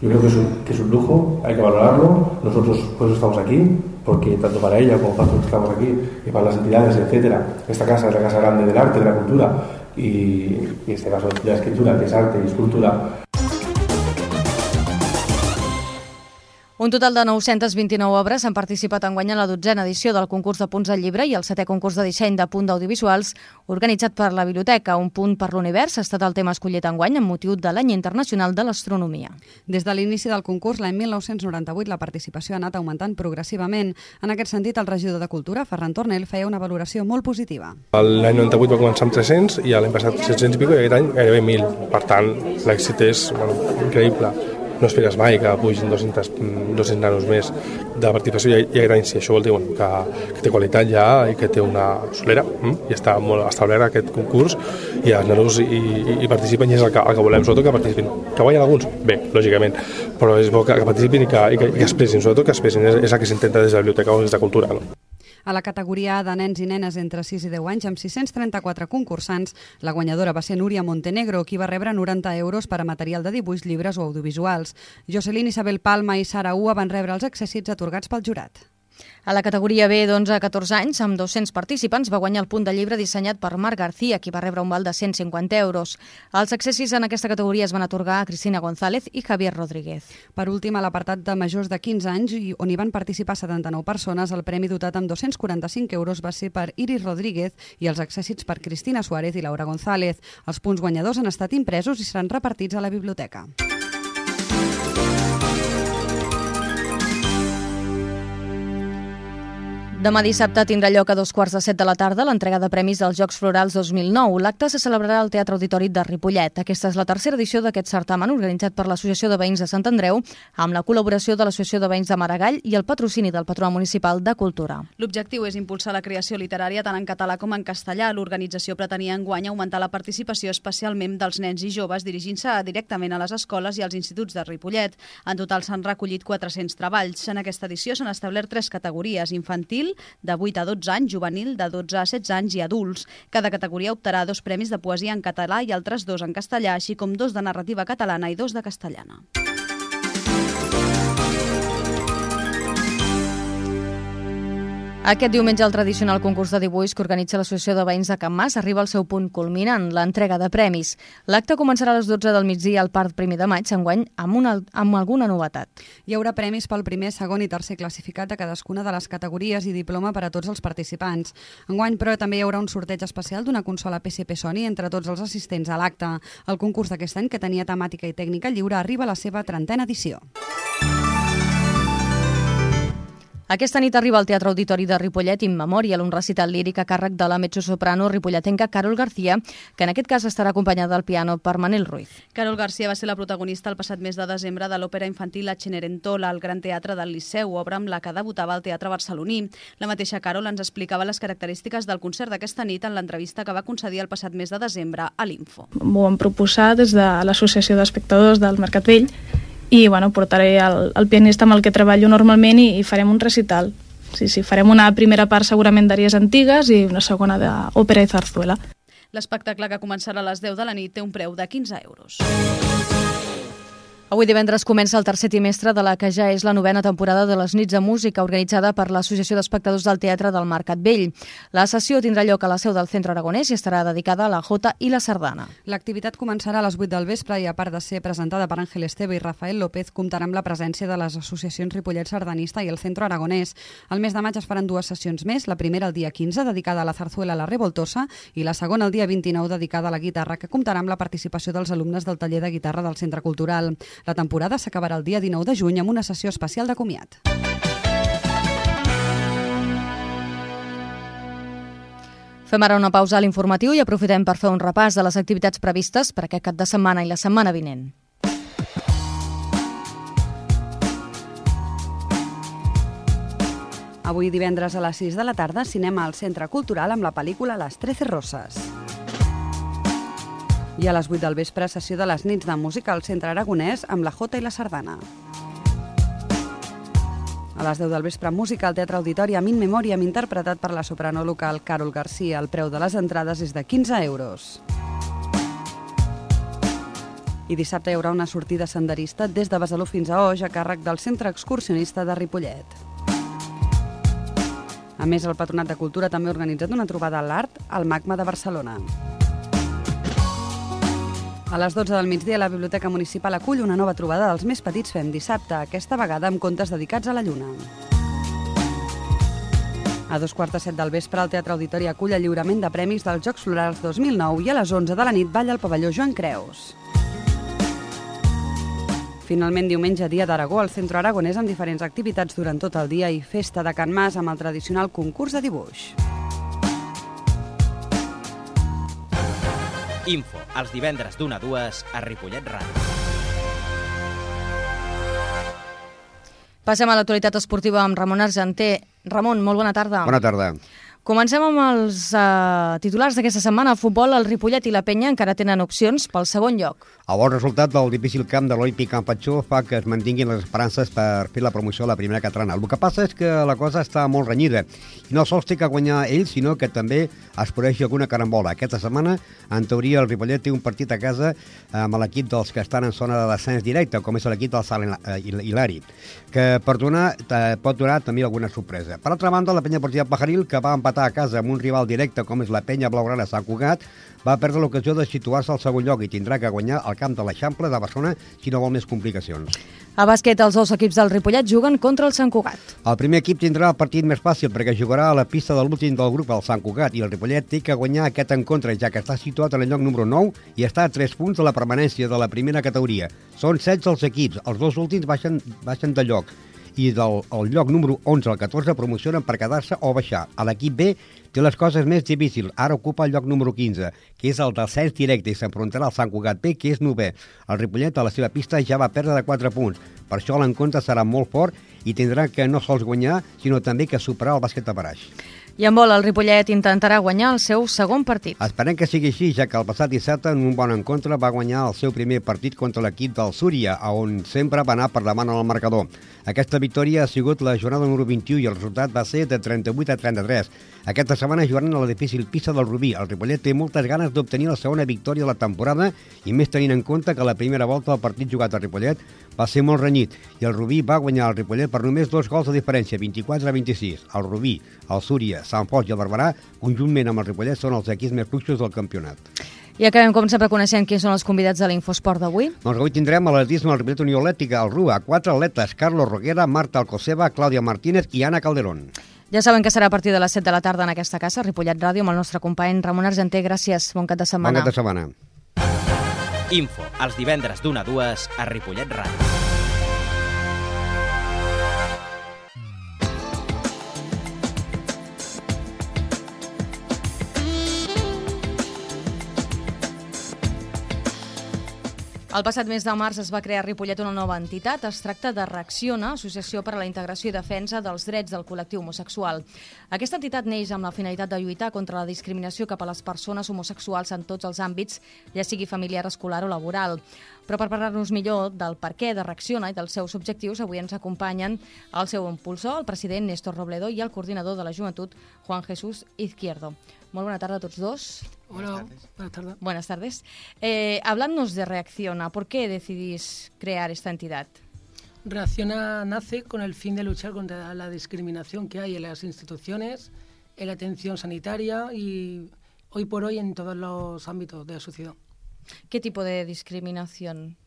Yo creo que es un lujo, hay que valorarlo. Nosotros por eso estamos aquí, porque tanto para ella como para nosotros que estamos aquí y para las entidades, etcétera, esta casa es la casa grande del arte, de la cultura y en este caso de la escritura, que es arte y escultura. Un total de 929 obres han participat enguany en la 12a edició del concurs de punts del llibre i el 7è concurs de disseny de punt d'audiovisuals organitzat per la Biblioteca. Un punt per l'univers ha estat el tema escollit enguany amb motiu de l'Any Internacional de l'Astronomia. Des de l'inici del concurs, l'any 1998, la participació ha anat augmentant progressivament. En aquest sentit, el regidor de Cultura, Ferran Tornel, feia una valoració molt positiva. L'any 98 va començar amb 300 i l'any passat 700 i pico i aquest any gairebé 1.000. Per tant, l'èxit és increïble. No esperes mai que pugin 200 nanos més de participació i aquest any, si això vol dir que té qualitat ja i que té una solera i està molt establert aquest concurs i els nanos hi participen i és el que volem, sobretot que participin. Que guanyen alguns? Bé, lògicament, però és bo que participin i que expressin, sobretot que expressin, és el que s'intenta des de la Biblioteca o des de Cultura, no? A la categoria de nens i nenes entre 6 i 10 anys, amb 634 concursants, la guanyadora va ser Núria Montenegro, qui va rebre 90 euros per a material de dibuix, llibres o audiovisuals. Jocelyn, Isabel Palma i Sara Ua van rebre els accèssits atorgats pel jurat. A la categoria B d'11 a 14 anys, amb 200 participants, va guanyar el punt de llibre dissenyat per Marc García, qui va rebre un val de 150 euros. Els accessis en aquesta categoria es van atorgar a Cristina González i Javier Rodríguez. Per últim, a l'apartat de majors de 15 anys, on hi van participar 79 persones, el premi dotat amb 245 euros va ser per Iris Rodríguez i els accèssits per Cristina Suárez i Laura González. Els punts guanyadors han estat impresos i seran repartits a la biblioteca. Demà dissabte tindrà lloc a 7:15 de la tarda l'entrega de premis dels Jocs Florals 2009. L'acte se celebrarà al Teatre Auditori de Ripollet. Aquesta és la tercera edició d'aquest certamen organitzat per l'Associació de Veïns de Sant Andreu amb la col·laboració de l'Associació de Veïns de Maragall i el patrocini del Patronat Municipal de Cultura. L'objectiu és impulsar la creació literària tant en català com en castellà. L'organització pretenia enguany augmentar la participació especialment dels nens i joves dirigint-se directament a les escoles i als instituts de Ripollet. En total s'han recollit 400 treballs. En aquesta edició s'han establert 3 categories: infantil, infantil, de 8 a 12 anys, juvenil, de 12 a 16 anys i adults. Cada categoria optarà a 2 premis de poesia en català i altres 2 en castellà, així com 2 de narrativa catalana i 2 de castellana. Aquest diumenge el tradicional concurs de dibuix que organitza l'Associació de Veïns de Can Mas arriba al seu punt culminant, l'entrega de premis. L'acte començarà a les 12 del migdia al Parc 1 de Maig, enguany amb alguna novetat. Hi haurà premis pel primer, segon i tercer classificat de cadascuna de les categories i diploma per a tots els participants. Enguany, però, també hi haurà un sorteig especial d'una consola PSP Sony entre tots els assistents a l'acte. El concurs d'aquest any, que tenia temàtica i tècnica lliure, arriba a la seva 30a edició. Aquesta nit arriba al Teatre Auditori de Ripollet In Memoriam un recital líric a càrrec de la mezzosoprano ripolletenca Carol García, que en aquest cas estarà acompanyada al piano per Manel Ruiz. Carol García va ser la protagonista el passat mes de desembre de l'òpera infantil La Cenerentola al Gran Teatre del Liceu, obra amb la que debutava al Teatre Barceloní. La mateixa Carol ens explicava les característiques del concert d'aquesta nit en l'entrevista que va concedir el passat mes de desembre a l'Info. M'ho vam proposar des de l'Associació d'Espectadors del Mercat Vell i portaré el pianista amb el que treballo normalment i farem un recital. Sí, farem una primera part segurament d'àries antigues i una segona d'òpera i zarzuela. L'espectacle, que començarà a les 10 de la nit, té un preu de 15 euros. Avui divendres comença el tercer trimestre de la que ja és la 9ª temporada de les nits de música organitzada per l'Associació d'Espectadors del Teatre del Mercat Vell. La sessió tindrà lloc a la seu del Centre Aragonès i estarà dedicada a la jota i la sardana. L'activitat començarà a les 8 del vespre i, a part de ser presentada per Àngel Esteve i Rafael López, comptarà amb la presència de les associacions Ripollet Sardanista i el Centre Aragonès. Al mes de maig es faran 2 sessions més, la primera el dia 15, dedicada a la zarzuela La Revoltosa, i la segona el dia 29, dedicada a la guitarra, que comptarà amb la participació dels alumnes del taller de guitarra del Centre Cultural. La temporada s'acabarà el dia 19 de juny amb una sessió especial de comiat. Fem ara una pausa a l'informatiu i aprofitem per fer un repàs de les activitats previstes per aquest cap de setmana i la setmana vinent. Avui divendres a les 6 de la tarda, cinema al Centre Cultural amb la pel·lícula Les 13 Roses. I a les 8 del vespre, sessió de les nits de música al Centre Aragonès amb la jota i la sardana. A les 10 del vespre, música al Teatre Auditori In Memoriam, interpretat per la soprano local Carol García. El preu de les entrades és de 15 euros. I dissabte hi haurà una sortida senderista des de Besalú fins a Oix a càrrec del Centre Excursionista de Ripollet. A més, el Patronat de Cultura també ha organitzat una trobada a l'art al MACMA de Barcelona. A les 12 del migdia, la Biblioteca Municipal acull una nova trobada dels més petits Fem dissabte, aquesta vegada amb contes dedicats a la Lluna. A 2:45 del vespre, el Teatre Auditori acull el lliurament de premis dels Jocs Florals 2009 i a les 11 de la nit balla al pavelló Joan Creus. Finalment, diumenge, dia d'Aragó, al Centre Aragonès amb diferents activitats durant tot el dia i festa de Can Mas amb el tradicional concurs de dibuix. Info, els divendres d'1 a 2 a Ripollet Ràdio. Passem a l'actualitat esportiva amb Ramon Argenter. Ramon, molt bona tarda. Bona tarda. Comencem amb els titulars d'aquesta setmana. A futbol, el Ripollet i la Penya encara tenen opcions pel segon lloc. El bon resultat del difícil camp de l'Olímpic Camp Patxó fa que es mantinguin les esperances per fer la promoció a la primera catalana. El que passa és que la cosa està molt renyida. I no sols té que guanyar ell, sinó que també es produeix alguna carambola. Aquesta setmana, en teoria, el Ripollet té un partit a casa amb l'equip dels que estan en zona de descens directe, com és l'equip del Sant Hilari, que pot donar també alguna sorpresa. Per altra banda, la Penya Esportiva Pajaril, que va empatar a casa amb un rival directe com és la Penya Blaugrana Sant Cugat, va perdre l'ocasió de situar-se al segon lloc i tindrà que guanyar al camp de l'Eixample de Barcelona si no vol més complicacions. A bàsquet, els dos equips del Ripollet juguen contra el Sant Cugat. El primer equip tindrà el partit més fàcil perquè jugarà a la pista de l'últim del grup, el Sant Cugat, i el Ripollet té que guanyar aquest encontre, ja que està situat en el lloc número 9 i està a 3 punts de la permanència de la primera categoria. Són 16 els equips, els dos últims baixen de lloc i del lloc número 11 al 14 promocionen per quedar-se o baixar. A l'equip B té les coses més difícils. Ara ocupa el lloc número 15, que és el descens directe i s'enfrontarà al Sant Cugat B, que és 9è. El Ripollet a la seva pista ja va perdre de 4 punts. Per això l'encontre serà molt fort i tindrà que no sols guanyar, sinó també que superar el bàsquet de Baraix. I en vol, el Ripollet intentarà guanyar el seu segon partit. Esperem que sigui així, ja que el passat dissabte, en un bon encontre, va guanyar el seu primer partit contra l'equip del Súria, on sempre va anar per davant en el marcador. Aquesta victòria ha sigut la jornada número 21 i el resultat va ser de 38-33. Aquesta setmana jugaran a la difícil pista del Rubí. El Ripollet té moltes ganes d'obtenir la segona victòria de la temporada i més tenint en compte que la primera volta del partit jugat al Ripollet va ser molt renyit i el Rubí va guanyar el Ripollet per només 2 gols de diferència, 24-26. El Rubí, el Súria, Sant Fost i el Barberà, conjuntament amb el Ripollet, són els equips més fluixos del campionat. I acabem, com sempre, coneixent quins són els convidats de l'Infosport d'avui. Doncs avui tindrem a l'atletisme al Ripollet Unió Atlètica, al RUA, 4 atletes, Carlos Roguera, Marta Alcoseba, Clàudia Martínez i Anna Calderón. Ja saben que serà a partir de les 7 de la tarda en aquesta casa, Ripollet Ràdio, amb el nostre company Ramon Argenter. Gràcies, bon cap de setmana. Bon cap de setmana. Info, els divendres d'1 a 2 a Ripollet Ràdio. El passat mes de març es va crear a Ripollet una nova entitat. Es tracta de Reacciona, Associació per a la Integració i Defensa dels Drets del Col·lectiu Homosexual. Aquesta entitat neix amb la finalitat de lluitar contra la discriminació cap a les persones homosexuals en tots els àmbits, ja sigui familiar, escolar o laboral. Però per parlar-nos millor del perquè de Reacciona i dels seus objectius, avui ens acompanyen el seu impulsor, el president Néstor Robledo, i el coordinador de la joventut, Juan Jesús Izquierdo. Molt bona tarda a tots dos. Hola, buenas tardes. Buenas tardes. Hablándonos de Reacciona, ¿por qué decidís crear esta entidad? Reacciona nace con el fin de luchar contra la discriminación que hay en las instituciones, en la atención sanitaria y hoy por hoy en todos los ámbitos de la sociedad. ¿Qué tipo de discriminación?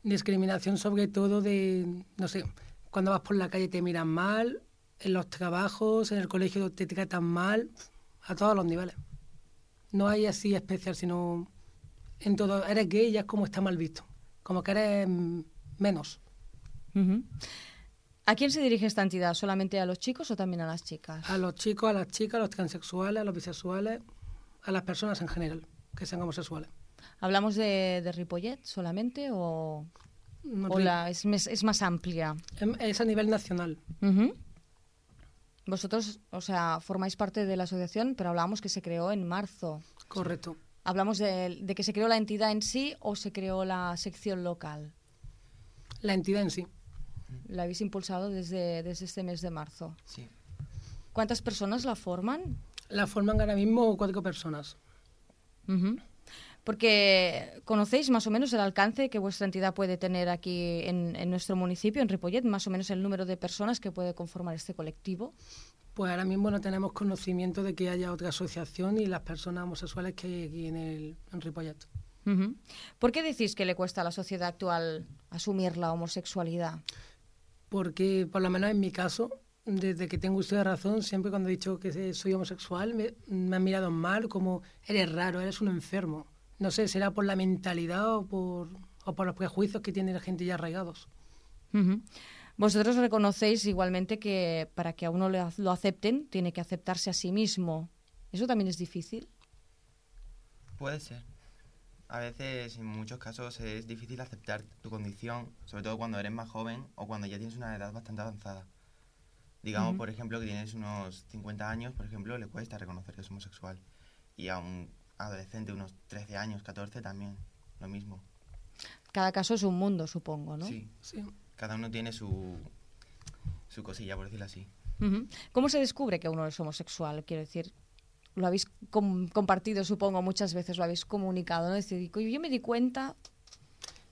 Discriminación sobre todo de, no sé, cuando vas por la calle te miran mal, en los trabajos, en el colegio te tratan mal, a todos los niveles. No hay así especial, sino en todo. Eres gay y ya es como está mal visto, como que eres menos. Uh-huh. ¿A quién se dirige esta entidad? ¿Solamente a los chicos o también a las chicas? A los chicos, a las chicas, a los transexuales, a los bisexuales, a las personas en general, que sean homosexuales. ¿Hablamos de Ripollet solamente o es más amplia? Es a nivel nacional. Uh-huh. Vosotros, o sea, formáis parte de la asociación, pero hablábamos que se creó en marzo. Correcto. ¿Hablamos de que se creó la entidad en sí o se creó la sección local? La entidad en sí. La habéis impulsado desde este mes de marzo. Sí. ¿Cuántas personas la forman? La forman ahora mismo 4 personas. Uh-huh. Porque conocéis más o menos el alcance que vuestra entidad puede tener aquí en nuestro municipio, en Ripollet, más o menos el número de personas que puede conformar este colectivo. Pues ahora mismo no tenemos conocimiento de que haya otra asociación y las personas homosexuales que hay aquí en Ripollet. Uh-huh. ¿Por qué decís que le cuesta a la sociedad actual asumir la homosexualidad? Porque, por lo menos en mi caso, desde que tengo uso de razón, siempre cuando he dicho que soy homosexual me han mirado mal, como eres raro, eres un enfermo. No sé, será por la mentalidad o por los prejuicios que tiene la gente ya arraigados. Uh-huh. Vosotros reconocéis igualmente que para que a uno lo acepten, tiene que aceptarse a sí mismo. ¿Eso también es difícil? Puede ser. A veces, en muchos casos, es difícil aceptar tu condición, sobre todo cuando eres más joven o cuando ya tienes una edad bastante avanzada. Digamos, Uh-huh. por ejemplo, que tienes unos 50 años, por ejemplo, le cuesta reconocer que es homosexual. Y a un adolescente, unos 13 años, 14, también, lo mismo. Cada caso es un mundo, supongo, ¿no? Sí. Cada uno tiene su cosilla, por decirlo así. Uh-huh. ¿Cómo se descubre que uno es homosexual? Quiero decir, lo habéis compartido, supongo, muchas veces, lo habéis comunicado, ¿no? Es decir, yo me di cuenta...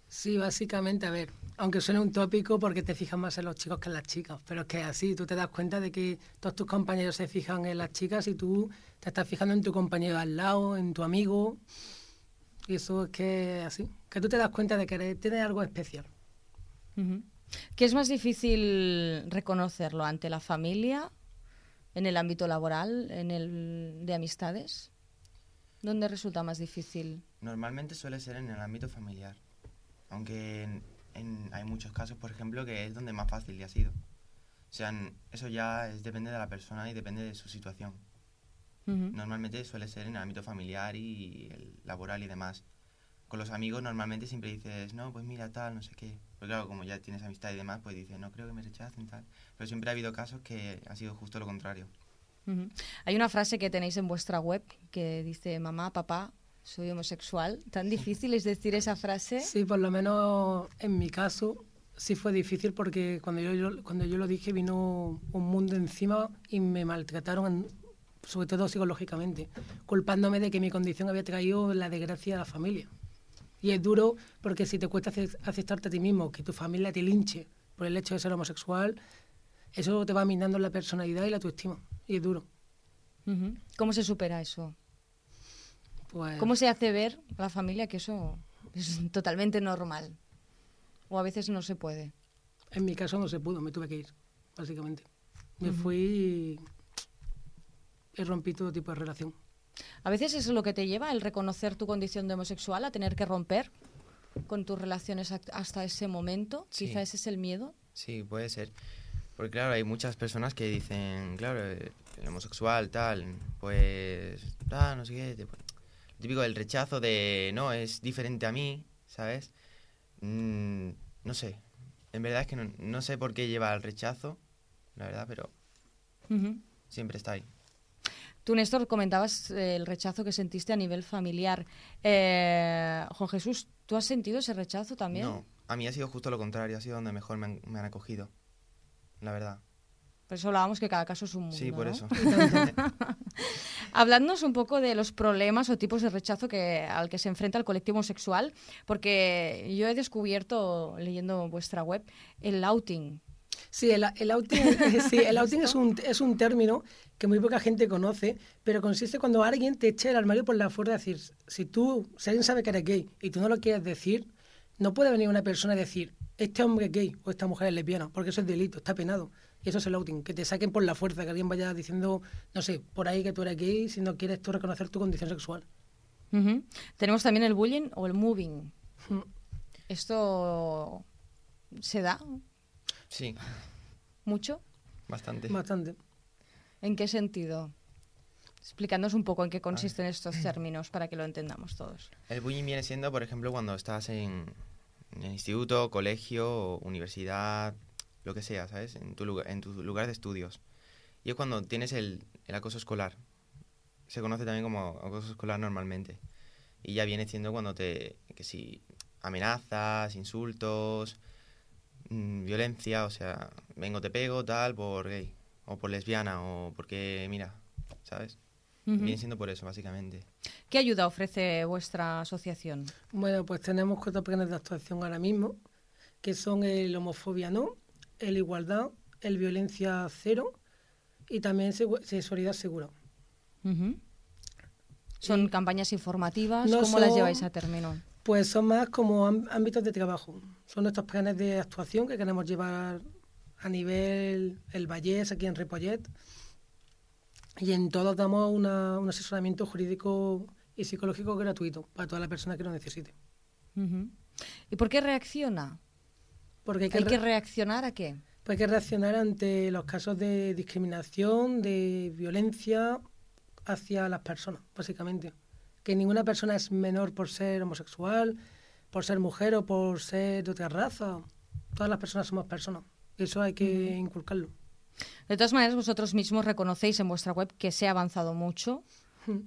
Sí, básicamente, a ver, aunque suene un tópico porque te fijas más en los chicos que en las chicas, pero es que es así, tú te das cuenta de que todos tus compañeros se fijan en las chicas y tú te estás fijando en tu compañero al lado, en tu amigo, y eso es que es así, que tú te das cuenta de que tienes algo especial. Uh-huh. ¿Qué es más difícil reconocerlo? ¿Ante la familia, en el ámbito laboral, en el de amistades? ¿Dónde resulta más difícil? Normalmente suele ser en el ámbito familiar, aunque hay muchos casos, por ejemplo, que es donde más fácil le ha sido. O sea, eso ya depende de la persona y depende de su situación. Uh-huh. Normalmente suele ser en el ámbito familiar y el laboral y demás. Con los amigos normalmente siempre dices, no, pues mira tal, no sé qué. Pero claro, como ya tienes amistad y demás, pues dices, no creo que me rechacen tal. Pero siempre ha habido casos que ha sido justo lo contrario. Hay una frase que tenéis en vuestra web que dice: mamá, papá, soy homosexual. ¿Tan difícil es decir esa frase? Sí, por lo menos en mi caso sí fue difícil, porque cuando yo lo dije vino un mundo encima y me maltrataron, sobre todo psicológicamente, culpándome de que mi condición había traído la desgracia a la familia. Y es duro, porque si te cuesta aceptarte a ti mismo, que tu familia te linche por el hecho de ser homosexual, eso te va minando la personalidad y la autoestima, y es duro. ¿Cómo se supera eso? Pues, ¿Cómo se hace ver a la familia que eso es totalmente normal? ¿O a veces no se puede? En mi caso no se pudo, me tuve que ir, básicamente. Me fui y rompí todo tipo de relación. A veces es lo que te lleva el reconocer tu condición de homosexual, a tener que romper con tus relaciones hasta ese momento. Sí. Quizá ese es el miedo. Sí, puede ser. Porque claro, hay muchas personas que dicen, claro, el homosexual, tal, pues, no sé qué. Típico del rechazo de, no, es diferente a mí, ¿sabes? No sé. En verdad es que no sé por qué lleva al rechazo, la verdad, pero siempre está ahí. Tú, Néstor, comentabas el rechazo que sentiste a nivel familiar. Juan Jesús, ¿tú has sentido ese rechazo también? No, a mí ha sido justo lo contrario, ha sido donde mejor me han acogido, la verdad. Por eso hablábamos que cada caso es un mundo, Sí, por ¿no? eso. Habladnos un poco de los problemas o tipos de rechazo al que se enfrenta el colectivo homosexual, porque yo he descubierto, leyendo vuestra web, el outing. Sí, el outing es un término que muy poca gente conoce, pero consiste cuando alguien te echa el armario por la fuerza. Es decir, si alguien sabe que eres gay y tú no lo quieres decir, no puede venir una persona a decir, este hombre es gay o esta mujer es lesbiana, porque eso es delito, está penado. Y eso es el outing, que te saquen por la fuerza, que alguien vaya diciendo, no sé, por ahí que tú eres gay si no quieres tú reconocer tu condición sexual. Tenemos también el bullying o el moving. ¿Esto se da? Sí. ¿Mucho? Bastante. ¿En qué sentido? Explicándonos un poco en qué consisten estos términos para que lo entendamos todos. El bullying viene siendo, por ejemplo, cuando estás en instituto, colegio, universidad, lo que sea, ¿sabes? En tu lugar de estudios. Y es cuando tienes el acoso escolar. Se conoce también como acoso escolar normalmente. Y ya viene siendo cuando que si amenazas, insultos, violencia, o sea, vengo, te pego, tal, por gay, o por lesbiana, o porque, mira, ¿sabes? Viene siendo por eso, básicamente. ¿Qué ayuda ofrece vuestra asociación? Bueno, pues tenemos 4 planes de actuación ahora mismo, que son el homofobia no, el igualdad, el violencia cero y también sexualidad segura. ¿Son campañas informativas? ¿Cómo las lleváis a término? Pues son más como ámbitos de trabajo. Son nuestros planes de actuación que queremos llevar a nivel el Vallés, aquí en Ripollet. Y en todos damos un asesoramiento jurídico y psicológico gratuito para toda la persona que lo necesite. ¿Y por qué reacciona? Porque ¿Hay que reaccionar a qué? Pues hay que reaccionar ante los casos de discriminación, de violencia hacia las personas, básicamente. Que ninguna persona es menor por ser homosexual, por ser mujer o por ser de otra raza. Todas las personas somos personas. Eso hay que inculcarlo. De todas maneras, vosotros mismos reconocéis en vuestra web que se ha avanzado mucho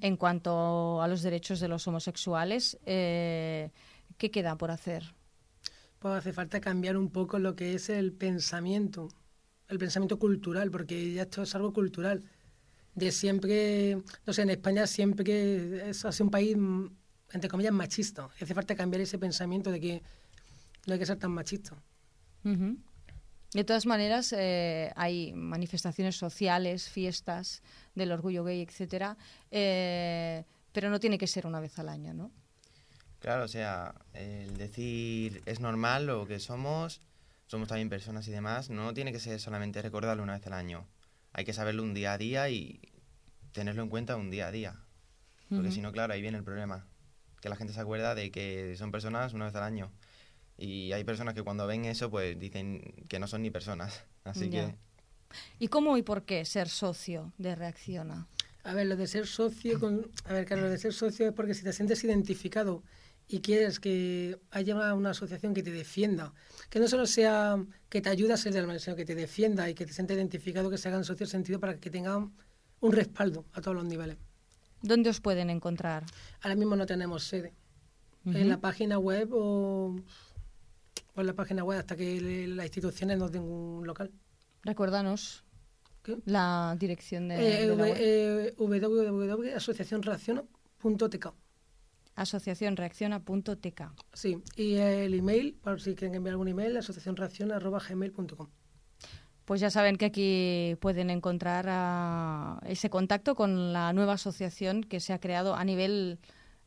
en cuanto a los derechos de los homosexuales. ¿Qué queda por hacer? Pues hace falta cambiar un poco lo que es el pensamiento cultural, porque ya esto es algo cultural. De siempre, no sé, en España siempre es así un país, entre comillas, machista. Y hace falta cambiar ese pensamiento de que no hay que ser tan machista. De todas maneras, hay manifestaciones sociales, fiestas del orgullo gay, etcétera, pero no tiene que ser una vez al año, ¿no? Claro, o sea, el decir es normal lo que somos también personas y demás, no tiene que ser solamente recordarlo una vez al año. Hay que saberlo un día a día y tenerlo en cuenta un día a día. Porque si no, claro, ahí viene el problema. Que la gente se acuerda de que son personas una vez al año. Y hay personas que cuando ven eso, pues dicen que no son ni personas. Así que... ¿Y cómo y por qué ser socio de Reacciona? A ver, lo de ser socio... lo de ser socio es porque si te sientes identificado y quieres que haya una asociación que te defienda, que no solo sea que te ayude a ser del mal, sino que te defienda y que te sientas identificado, que se hagan socios, sentido para que tengan un respaldo a todos los niveles. ¿Dónde os pueden encontrar? Ahora mismo no tenemos sede. En la página web o en la página web hasta que las instituciones nos den un local. Recuérdanos la dirección de la web. www.asociacionreacciona.tk. Asociacionreacciona.tk. Sí, y el email, por si quieren enviar algún email, asociacionreacciona@gmail.com. Pues ya saben que aquí pueden encontrar ese contacto con la nueva asociación que se ha creado a nivel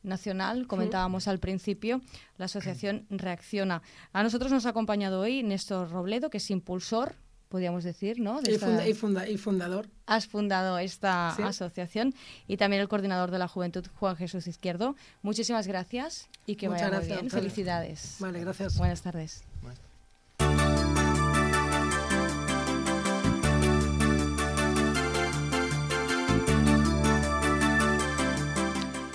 nacional, comentábamos al principio, la asociación Reacciona. A nosotros nos ha acompañado hoy Néstor Robledo, que es impulsor, podríamos decir, ¿no? Y fundador. Has fundado esta asociación, y también el coordinador de la juventud, Juan Jesús Izquierdo. Muchísimas gracias y que vaya muy bien. Felicidades. Vale, gracias. Buenas tardes.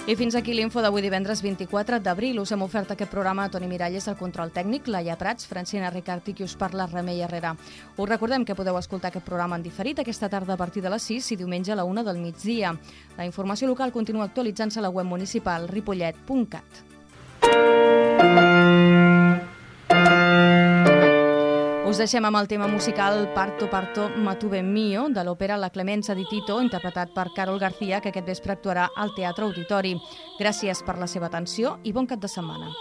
I fins aquí l'info d'avui divendres 24 d'abril. Us hem ofert aquest programa a Toni Miralles, el control tècnic, Laia Prats, Francina Ricart i qui us parla, Remei Herrera. Us recordem que podeu escoltar aquest programa en diferit aquesta tarda a partir de les 6 i diumenge a la 1 del migdia. La informació local continua actualitzant-se a la web municipal ripollet.cat. Us deixem amb el tema musical Parto Parto Matuve Mio, de l'òpera La Clemenza di Tito, interpretat per Carol García, que aquest vespre actuarà al Teatre Auditori. Gràcies per la seva atenció i bon cap de setmana.